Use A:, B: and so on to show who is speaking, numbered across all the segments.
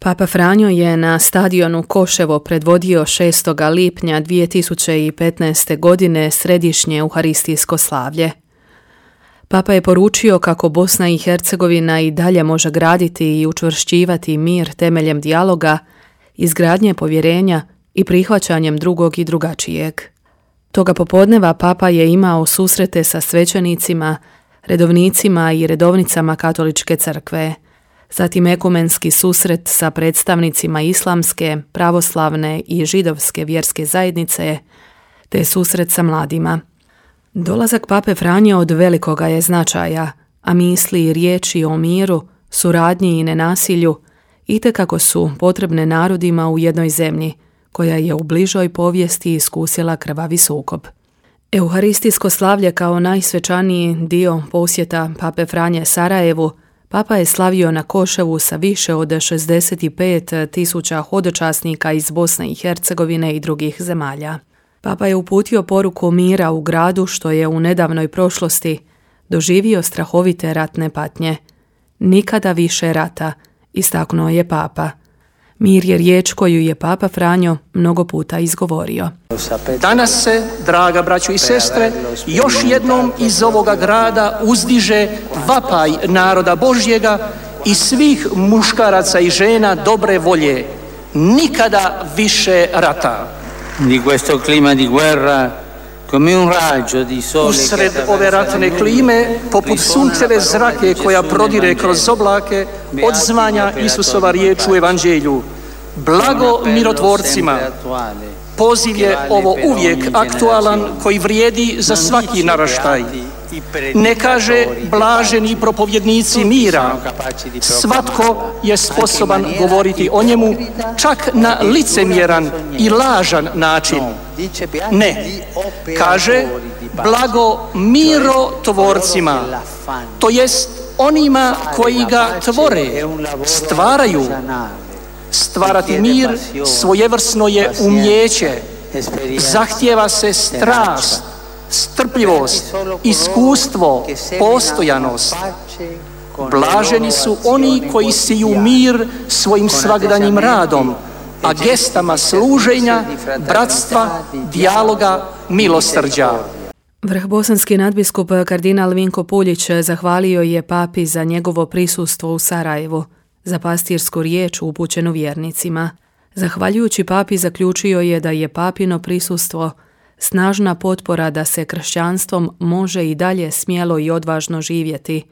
A: Papa Franjo je na stadionu Koševo predvodio 6. lipnja 2015. godine središnje euharistijsko slavlje. Papa je poručio kako Bosna i Hercegovina i dalje može graditi i učvršćivati mir temeljem dijaloga, izgradnje povjerenja i prihvaćanjem drugog i drugačijeg. Toga popodneva Papa je imao susrete sa svećenicima, redovnicima i redovnicama Katoličke crkve, zatim ekumenski susret sa predstavnicima islamske, pravoslavne i židovske vjerske zajednice, te susret sa mladima. Dolazak Pape Franje od velikoga je značaja, a misli i riječi o miru, suradnji i nenasilju itekako su potrebne narodima u jednoj zemlji, koja je u bližoj povijesti iskusila krvavi sukob. Euharistijsko slavlje kao najsvečaniji dio posjeta Pape Franje Sarajevu, Papa je slavio na Koševu sa više od 65.000 hodočasnika iz Bosne i Hercegovine i drugih zemalja. Papa je uputio poruku mira u gradu što je u nedavnoj prošlosti doživio strahovite ratne patnje. Nikada više rata, istaknuo je Papa. Mir je riječ koju je Papa Franjo mnogo puta izgovorio.
B: Danas se, draga braćo i sestre, još jednom iz ovoga grada uzdiže vapaj naroda Božjega i svih muškaraca i žena dobre volje. Nikada više rata.
C: Di questo clima di guerra, come un raggio di sole.
B: Usred ove ratne klime, poput sunčeve zrake koja prodire kroz oblake, odzvanja Isusova riječ u Evanđelju. Blago mirotvorcima. Poziv je ovo uvijek aktualan koji vrijedi za svaki naraštaj. Ne kaže blaženi propovjednici mira. Svatko je sposoban govoriti o njemu, čak na licemjeran i lažan način. Ne, kaže blago mirotvorcima, to jest onima koji ga tvore, stvaraju. Stvarati mir svojevrsno je umjeće, zahtijeva se strast, strpljivost, iskustvo, postojanost. Blaženi su oni koji siju mir svojim svagdanjim radom, a gestama služenja, bratstva, dijaloga, milosrđa.
A: Vrhbosanski nadbiskup kardinal Vinko Puljić zahvalio je Papi za njegovo prisustvo u Sarajevu, za pastirsku riječ upućenu vjernicima. Zahvaljujući Papi zaključio je da je Papino prisustvo snažna potpora da se kršćanstvom može i dalje smjelo i odvažno živjeti,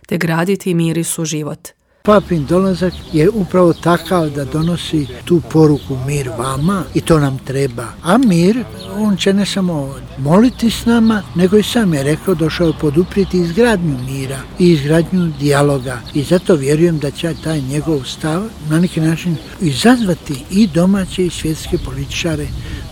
A: te graditi mir i suživot.
D: Papin dolazak je upravo takav da donosi tu poruku mir vama i to nam treba. A mir, on će ne samo moliti s nama, nego i sam je rekao došao je poduprijeti izgradnju mira i izgradnju dijaloga. I zato vjerujem da će taj njegov stav na neki način izazvati i domaće i svjetske političare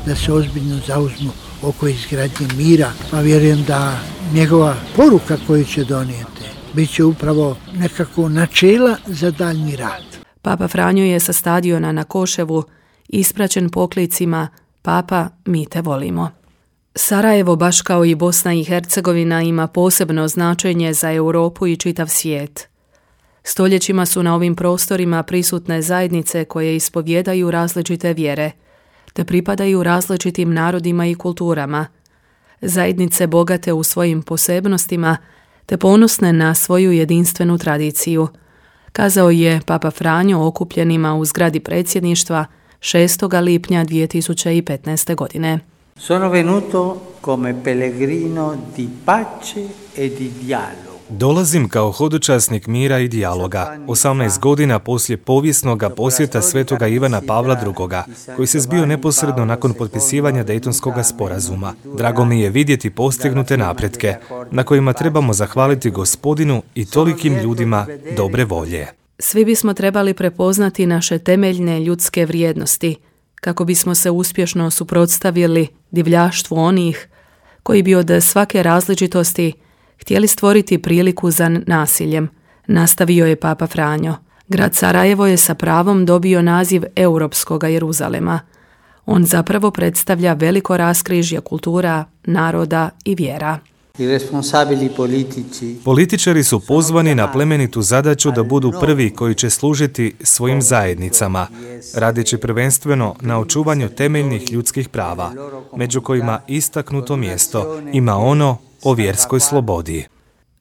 D: da se ozbiljno zauzmu oko izgradnje mira. Pa vjerujem da njegova poruka koju će donijeti bit će upravo nekako načela za daljnji rad.
A: Papa Franjo je sa stadiona na Koševu ispraćen poklicima Papa, mi te volimo. Sarajevo, baš kao i Bosna i Hercegovina, ima posebno značenje za Europu i čitav svijet. Stoljećima su na ovim prostorima prisutne zajednice koje ispovjedaju različite vjere, te pripadaju različitim narodima i kulturama. Zajednice bogate u svojim posebnostima, te ponosne na svoju jedinstvenu tradiciju, kazao je Papa Franjo okupljenima u zgradi predsjedništva 6. lipnja 2015. godine.
C: Sono venuto come pellegrino di pace e di dialogo.
E: Dolazim kao hodočasnik mira i dijaloga, 18 godina poslije povijesnoga posjeta svetoga Ivana Pavla II, koji se zbio neposredno nakon potpisivanja Dejtonskog sporazuma. Drago mi je vidjeti postignute napretke, na kojima trebamo zahvaliti Gospodinu i tolikim ljudima dobre volje.
A: Svi bismo trebali prepoznati naše temeljne ljudske vrijednosti, kako bismo se uspješno suprotstavili divljaštvu onih koji bi od svake različitosti htjeli stvoriti priliku za nasiljem, nastavio je Papa Franjo. Grad Sarajevo je sa pravom dobio naziv Europskoga Jeruzalema. On zapravo predstavlja veliko raskrižje kultura, naroda i vjera.
E: Političari su pozvani na plemenitu zadaću da budu prvi koji će služiti svojim zajednicama, radeći prvenstveno na očuvanju temeljnih ljudskih prava, među kojima istaknuto mjesto ima ono o vjerskoj slobodi.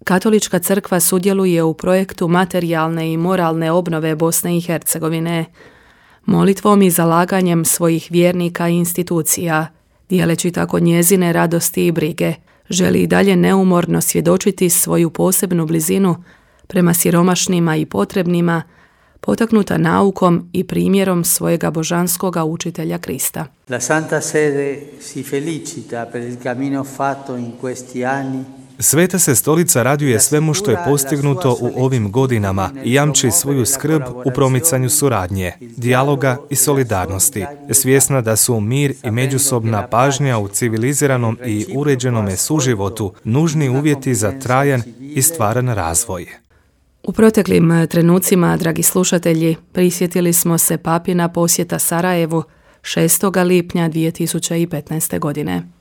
A: Katolička crkva sudjeluje u projektu materijalne i moralne obnove Bosne i Hercegovine, molitvom i zalaganjem svojih vjernika i institucija, dijeleći tako njezine radosti i brige, želi i dalje neumorno svjedočiti svoju posebnu blizinu prema siromašnima i potrebnima, potaknuta naukom i primjerom svojega božanskoga učitelja Krista.
C: La Santa Sede si felicita per il cammino fatto in questi anni.
E: Sveta se stolica raduje svemu što je postignuto u ovim godinama i jamči svoju skrb u promicanju suradnje, dijaloga i solidarnosti, svjesna da su mir i međusobna pažnja u civiliziranom i uređenome suživotu nužni uvjeti za trajan i stvaran razvoj.
A: U proteklim trenucima, dragi slušatelji, prisjetili smo se papina posjeta Sarajevu 6. lipnja 2015. godine.